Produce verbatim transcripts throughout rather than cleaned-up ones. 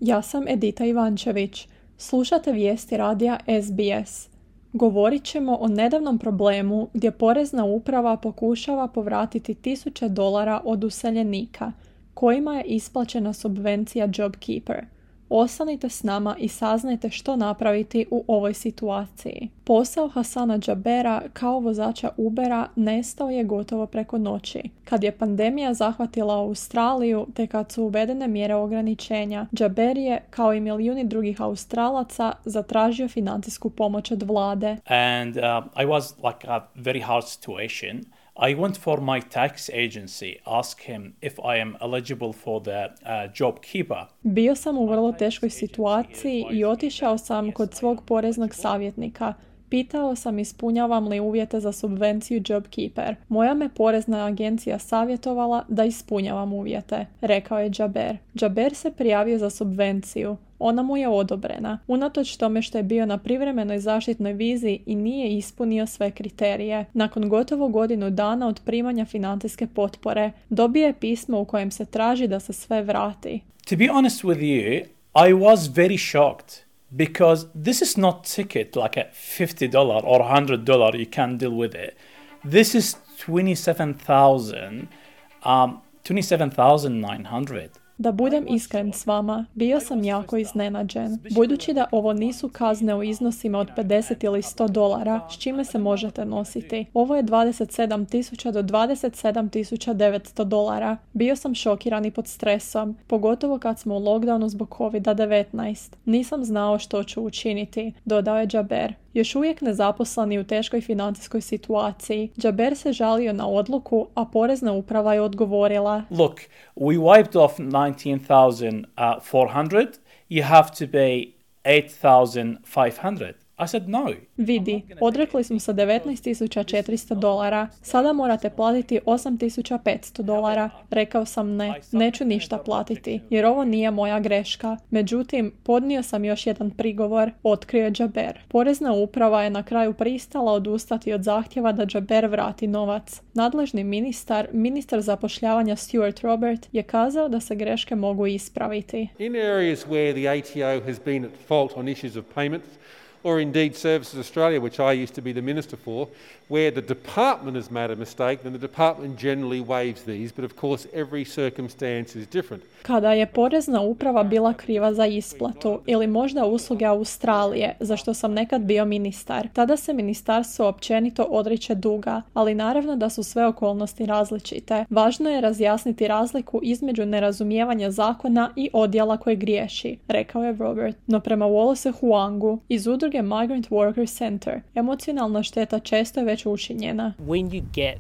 Ja sam Edita Ivančević. Slušate vijesti radija S B S. Govorit ćemo o nedavnom problemu gdje Porezna uprava pokušava povratiti tisuće dolara od useljenika, kojima je isplaćena subvencija JobKeeper. Ostanite s nama i saznajte što napraviti u ovoj situaciji. Posao Hasana Džabera kao vozača Ubera nestao je gotovo preko noći. Kad je pandemija zahvatila Australiju te kad su uvedene mjere ograničenja, Džaber je, kao i milijuni drugih Australaca, zatražio financijsku pomoć od vlade. And uh, I was like a very hard situation. I went for my tax agency, ask him if I am eligible for the uh, JobKeeper. Bio sam u vrlo teškoj situaciji i otišao sam kod svog poreznog savjetnika. Pitao sam ispunjavam li uvjete za subvenciju JobKeeper. Moja me porezna agencija savjetovala da ispunjavam uvjete, rekao je Džaber. Džaber se prijavio za subvenciju. Ona mu je odobrena, unatoč tome što je bio na privremenoj zaštitnoj vizi i nije ispunio sve kriterije. Nakon gotovo godinu dana od primanja financijske potpore, dobio je pismo u kojem se traži da se sve vrati. To be honest with you, I was very shocked. Because this is not ticket like a fifty dollars or one hundred dollars you can deal with it. This is twenty-seven thousand, um, twenty-seven thousand nine hundred. Da budem iskren s vama, bio sam jako iznenađen. Budući da ovo nisu kazne u iznosima od pedeset ili sto dolara, s čime se možete nositi. Ovo je dvadeset sedam tisuća do dvadeset sedam tisuća devetsto dolara. Bio sam šokiran i pod stresom, pogotovo kad smo u lockdownu zbog kovid devetnaest. Nisam znao što ću učiniti, dodao je Džaber. Još uvijek nezaposleni u teškoj financijskoj situaciji, Džaber se žalio na odluku, a Porezna uprava je odgovorila: Look, we wiped off nineteen thousand four hundred, you have to pay eight thousand five hundred. I said no. Vidi, odrekli smo se devetnaest tisuća četiristo dolara, sada morate platiti osam tisuća petsto dolara. Rekao sam ne, neću ništa platiti, jer ovo nije moja greška. Međutim, podnio sam još jedan prigovor, otkrio je Džaber. Porezna uprava je na kraju pristala odustati od zahtjeva da Džaber vrati novac. Nadležni ministar, ministar zapošljavanja Stuart Robert, je kazao da se greške mogu ispraviti. In areas where the A T O has been at fault on issues of payments, or indeed Services Australia, which I used to be the minister for, where the department has made a mistake, then the department generally waives these, but of course every circumstance is different. Kada je Porezna uprava bila kriva za isplatu ili možda usluge Australije, za što sam nekad bio ministar, tada se ministarstvo općenito odriče duga, ali naravno da su sve okolnosti različite. Važno je razjasniti razliku između nerazumijevanja zakona i odjela koji griješi, rekao je Robert. No prema Wallace Huangu iz udruge Migrant Workers Center, emocionalna šteta često je već učinjena. When you get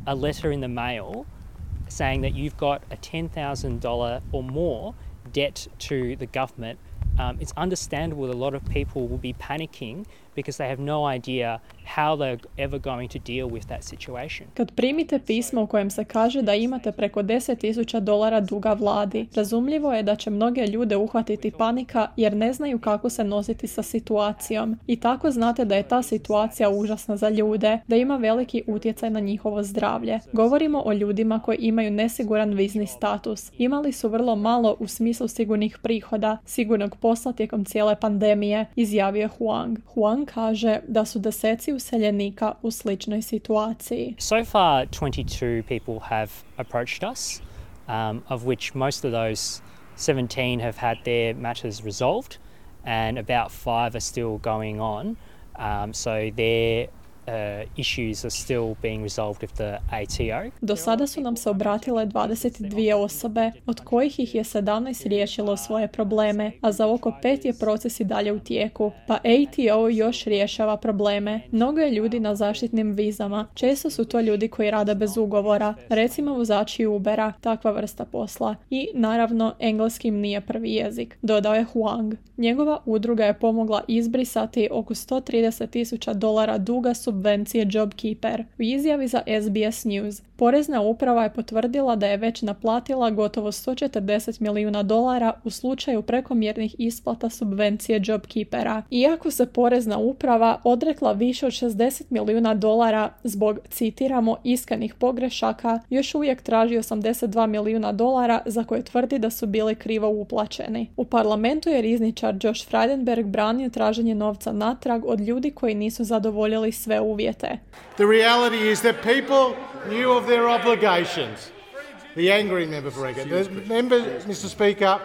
a letter in the mail saying that you've got a ten thousand dollars or more debt to the government, um, it's understandable that a lot of people will be panicking because they have no idea how they're ever going to deal with that situation. Kad primite pismo u kojem se kaže da imate preko deset tisuća dolara duga vladi, razumljivo je da će mnoge ljude uhvatiti panika jer ne znaju kako se nositi sa situacijom. I tako znate da je ta situacija užasna za ljude, da ima veliki utjecaj na njihovo zdravlje. Govorimo o ljudima koji imaju nesiguran vizni status. Imali su vrlo malo u smislu sigurnih prihoda, sigurnog posla tijekom cijele pandemije, izjavio Huang. Huang kaže da su deseci useljenika u sličnoj situaciji. So far, twenty-two people have approached us, um, of which most of those seventeen have had their matters resolved, and about five are still going on. Um, so their Uh, issues are still being resolved with the A T O. Do sada su nam se obratile dvadeset dvije osobe, od kojih ih je sedamnaest riješilo svoje probleme, a za oko pet je proces i dalje u tijeku, pa A T O još rješava probleme. Mnogo je ljudi na zaštitnim vizama, često su to ljudi koji rade bez ugovora, recimo vozači Ubera, takva vrsta posla. I, naravno, engleski im nije prvi jezik, dodao je Huang. Njegova udruga je pomogla izbrisati oko sto trideset tisuća dolara duga subvencija subvencije JobKeeper. U izjavi za S B S News, Porezna uprava je potvrdila da je već naplatila gotovo sto četrdeset milijuna dolara u slučaju prekomjernih isplata subvencije JobKeepera. Iako se Porezna uprava odrekla više od šezdeset milijuna dolara zbog, citiramo, iskanih pogrešaka, još uvijek traži osamdeset dva milijuna dolara za koje tvrdi da su bili krivo uplaćeni. U parlamentu je rizničar Josh Frydenberg branio traženje novca natrag od ljudi koji nisu zadovoljili sve uvjete. The reality is that people knew of their obligations. The angry member for Egger. The member, Mister Speaker,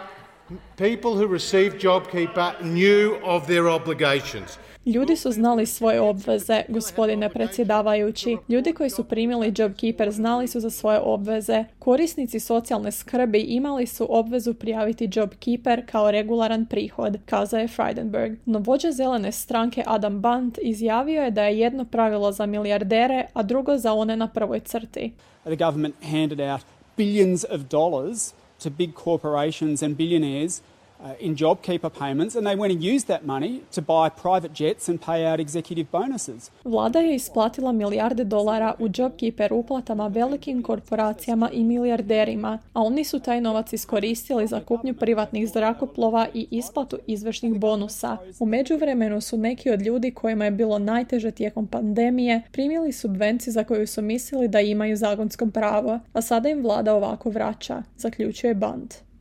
people who received JobKeeper knew of their obligations. Ljudi su znali svoje obveze, gospodine predsjedavajući. Ljudi koji su primili JobKeeper znali su za svoje obveze. Korisnici socijalne skrbi imali su obvezu prijaviti JobKeeper kao regularan prihod, kazao je Frydenberg. No vođa zelene stranke Adam Band izjavio je da je jedno pravilo za milijardere, a drugo za one na prvoj crti. The government handed out billions of dollars to big corporations and billionaires Uh, in JobKeeper payments, and they went and used that money to buy private jets and pay out executive bonuses. Vlada je isplatila milijarde dolara u JobKeeper uplatama velikim korporacijama i milijarderima, a oni su taj novac iskoristili za kupnju privatnih zrakoplova i isplatu izvršnih bonusa. U međuvremenu su neki od ljudi kojima je bilo najteže tijekom pandemije primili subvenciju za koju su mislili da imaju zakonsko pravo, a sada im vlada ovako vraća, zaključuje Band.